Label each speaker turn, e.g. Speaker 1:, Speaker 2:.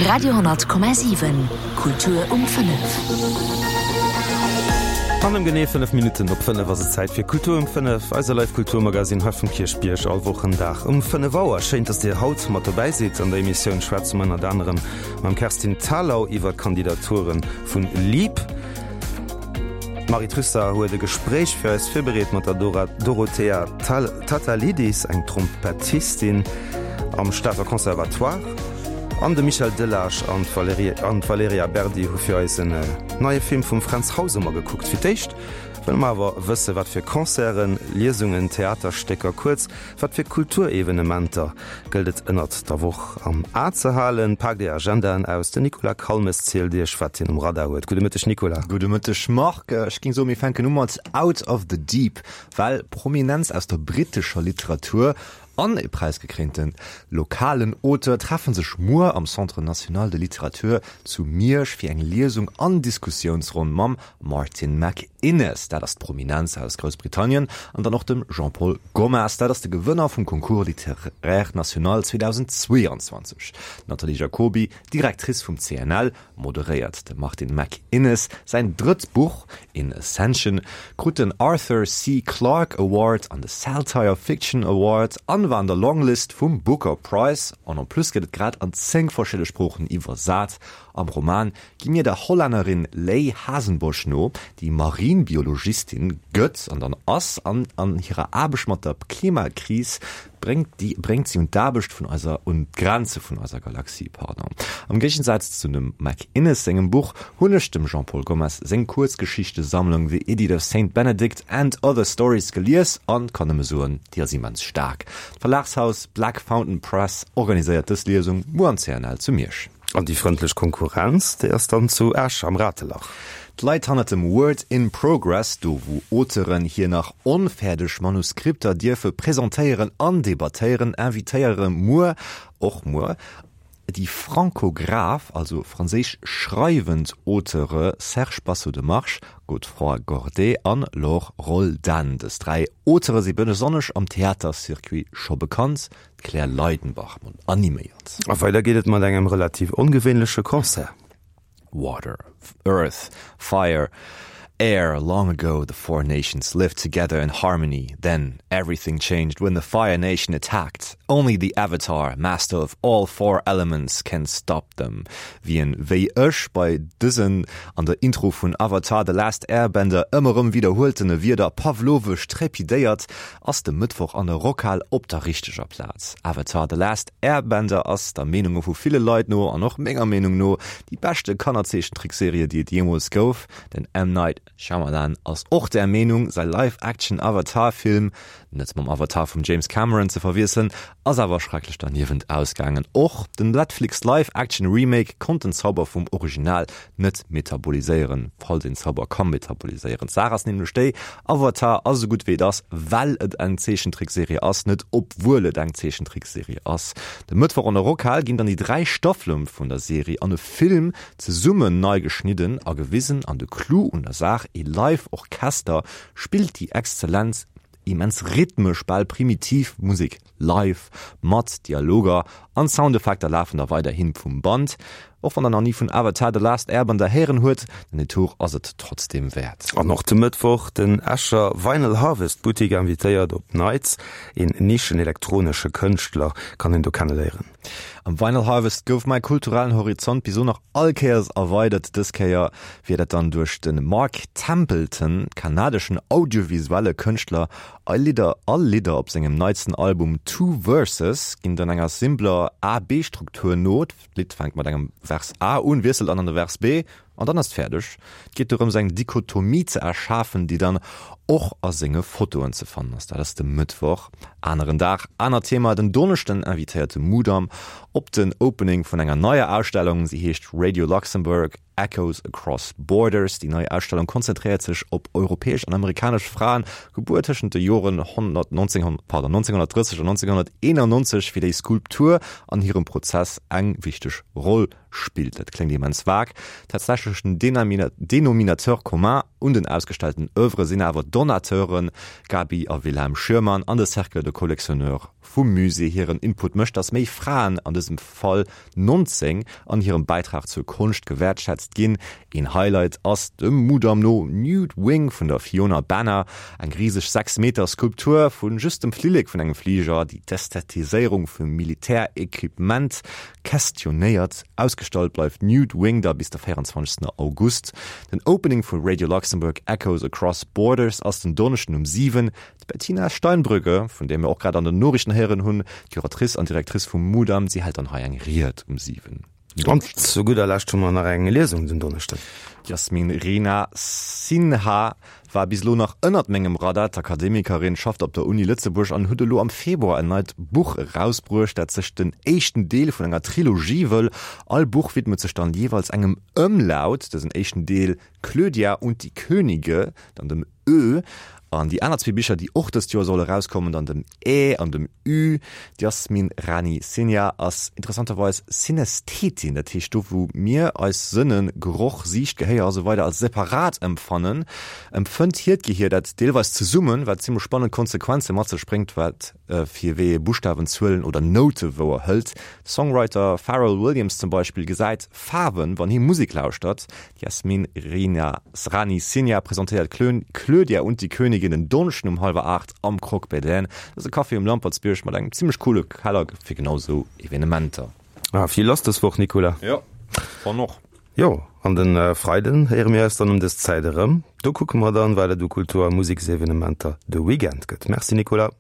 Speaker 1: Radio,7 Kultur um 5.
Speaker 2: An ëm genee 5 Minutten op 5 ass et Zäit fir Kultur um 5, eiser Live Kulturmagazine hei vum Kierchbierg all Wochendag um 5 Auer. Schéin, dass Dir haut mat dobäi sidd. An der Emissioun schwätze mer ënnert anerem mam Kerstin Thalau iwwer d'Kandidature vun Leap. D'Marie Trüsser huet e Gespréich fir eis virbereet mat der Dorothea Tatalidis, eng Trompettistin am Stater Conservatoire. An de Michel Delage an d'Valerija Berdi hu fir eis en neie Film vum Fränz Hausemer gekuckt. Fir d'éischt wëlle mer awer wësse wat fir Concerten, Liesungen, Theaterstécker, kuerz wat fir Kulturevenementer gëllt et ënnert der Woch am A ze halen. Paakt Är Agendaen aus, den Nicolas Calmes zielt Iech wat hien um Radar huet. Gudde Mëtteg Nicolas.
Speaker 3: Gudde Mëtteg Marc. Ech géing soen, mir fänken u mat Out of the Deep, well Prominenz aus der brittescher Literatur an e präisgekréinte lokalen Auteur treffe sech muer am Centre National de Littérature zu Miersch fir eng Liesung an Diskussiounsronn mam Martin McInnes, dat ass d'Prominenz aus Groussbritannien, an dann och dem Jean-Paul Gomas, dat ass de Gewënner vum Concours littéraire national 2022. D'Nathalie Jacoby, Directrice vum CNL, moderéiert. Dem Martin McInnes säin drëtt Buch, In Ascension, krut den Arthur C. Clarke Award an de Saltire Fiction Award an war an der Longlist vum Booker Prize. An en plus gëtt et grad an 10 verschidde Sproochen iwwersat. Am Roman gi mir der Hollännerin Lei Hasenbosch no, déi Marinbiologistin gëtt an dann ass an an hirer Aarbecht mat der Klimakris bréngt déi bréngt si un d'Aarbecht vun eiser un d'Grenze vun eiser Galaxie. Pardon. Am Géigensaz zu dem McInnes sengem Buch hunn ech dem Jean-Paul Gomes seng Kuerzgeschichtesammlung The Idiot of Saint Benedict and Other Stories gelies an kann nëmme soen, déi ass immens staark. D'Verlagshaus Black Fountain Press organiséiert dës Liesung muer am CNL zu Miersch.
Speaker 2: An déi frëndlech Konkurrenz, déi ass dann zu Esch am Ratelach.
Speaker 3: D'Leit hannert dem Word in Progress, do wou Auteuren hir nach onfäerdeg Manuskripter dierfe presentéieren an debattéieren, invitéiere muer, och muer, déi francograph, also franséisch schreiwend Auteure Serge Basso de March, Godefroy Gordet an Laure Roldan. Dës 3 Auteure si besonnesch am Theatercircuit scho bekannt. D'Claire Leidenbach animéiert.
Speaker 2: A weider geet et mat engem relativ ongewéinleche Concert.
Speaker 3: Water, Earth, Fire, Air, Long ago the four nations lived together in harmony. Then everything changed when the Fire Nation attacked. Only the Avatar, master of all four elements, can stop them. Wien, wéi ech, bei dësen an der Intro vun Avatar, The Last Airbender ëmmer erëm widderhueltene Wierder pavlovesch trepidéiert, ass de Mëttwoch an der Rockhal op der richteger Plaz. Avatar, The Last Airbender ass, der Meenunge vu ville Leit no, an och menger Meenung no, déi beschte Kannerzeechentrickserie, déi et jeemools gouf. Den M. Night Shyamalan ass och där Meenung. Säi Live-Action-Avatar-Film, net mam Avatar vum James Cameron ze verwiesselen, ass awer schrecklech derniewent ausgaangen. Och den Netflix Live-Action-Remake konnt den Zauber vum Original net metaboliséieren, falls een Zauber ka metaboliséieren. D'Saach ass nämlech déi, Avatar ass esou gutt wéi et ass, well et eng Zeechentrickserie ass, net obwuel et eng Zeechentrickserie ass. De Mëttwoch an der Rockhal ginn dann déi 3 Staffele vun der Serie an e Film zesummen nei geschnidden a gewisen an de Clou un der Saach, ee Live Orchester spillt déi exzellent, immens rhythmesch, bal primitiv Musek. Live, mat Dialoger an Soundeffekter lafen da weiderhin vum Band. Och wann der nach ni vun Avatar, The Last Airbender héieren huet, den Detour ass et trotzdeem wäert.
Speaker 2: An och de Mëttwoch, den Escher Vinyl Harvest Boutique invitéiert op Nights. Een nischen-elektronesche Kënschtler kann een do kenneléieren.
Speaker 3: Am Vinyl Harvest gouf mäi kulturellen Horizont bis elo nach all Kéiers erweidert. Dës Kéier wier dat dann duerch de Mark Templeton, kanadeschen audiovisuelle Kënschtler All Lidder All Lidder op sengem neitsten Album Two Verses ginn dann enger simpler A-B-Struktur no, D'Lidd fänkt mat engem Vers A un, wiesselt dann an de Vers B an dann ass et fäerdeg. Et geet dorëms eng Dichotomie ze erschafen, déi dann och a senge Fotoen ze fannen ass. Dat ass de Mëttwoch. Aneren Dag, anert Thema, Den Donneschden invitéiert de Mudam op den Opening vun enger neier Ausstellung. Si heescht Radio Luxembourg. Echoes Across Borders, Déi nei Ausstellung konzentréiert sech op europäesch an amerikanesch Fraen, gebuer tëschent de Joren 1930 an 1991, fir déi Skulptur an hirem Prozess eng wichteg Roll spillt. Dat kléngt immens vag. Tatsächlechen Dénominateur commun un den ausgestellten Oeuvre sinn awer d'Donateuren Gaby a Wilhelm Schürmann an de Cercle de Collectionneurs vum Musée. Hiren Input mécht, datt méi Fraen, an dësem Fall 19, an hirem Bäitrag zur Konscht gewäertschätzt ginn. Een Highlight ass dem Mudam no Nude Wing vun der Fiona Banner, eng riseg 6 Meter Skulptur vu just dem Flillek vun engem Fliger, déi d'Ästhetiséierung vu Militärequipement questionnéiert. Ausgestallt bleift Nude Wing da bis de 24 August. Den Opening vu Radio Luxembourg Echoes Across Borders ass den Donneschden um 7. D'Bettina Steinbrügge, vun där mir och grad an den Noriichten héieren hunn, d'Curatrice an Directrice vum Mudam, si hält dann hei eng Ried um 7.
Speaker 2: An zu gudder Lescht hu mer nach eng Liesung den Donneschden.
Speaker 3: D'Yasmin Rina Sinha war bis elo nach ënnert mengem Radar. D'Akademikerin schafft op der Uni Lëtzebuerg an huet elo am Februar en neit Buch erausbruecht, dat sech den éischten Deel vun enger Trilogie wëll. All Buch widmet sech dann jeeweils engem Ëmlaut. Dësen éischten Deel Clödia und die Könige, dann dem Ö, an déi aner zwee Bicher, déi och dëst Joer solle rauskommen, dann dem Ä an dem Ü. D'Yasmin Rani Sinha ass interessanterweis Synästhetin, dat heescht do wou mir eis Sënnen, Geroch, Siicht, Gehéier a sou weider als separat empfannen, empfënnt hiert Gehier dat deelweis zesummen, wat zimmlech spannend Konsequenze mat sech bréngt, wat fir wéi ee Buschtawen, Zuelen oder Noute wouer hëlt. De Songwriter Pharrell Williams zum Beispill gesäit Faarwen, wann hie Musek lauschtert. D'Yasmin Rina Rani Sinha presentéiert Clödia und die Königin en Donneschden um hallwer 8 am Croque Bédaine. Dat ass e Café um Lampertsbierg mat engem zimmlech coole Keller fir genau sou Evenementer.
Speaker 2: Ah, vill lass dës Woch, Nicolas.
Speaker 3: Jo, wann och.
Speaker 2: Jo, an de Freiden héiere mir eis dann ëm dës Zäit erëm. Do kucke mer dann, wat et u Kultur a Museksevenementer de Weekend gëtt. Merci, Nicolas.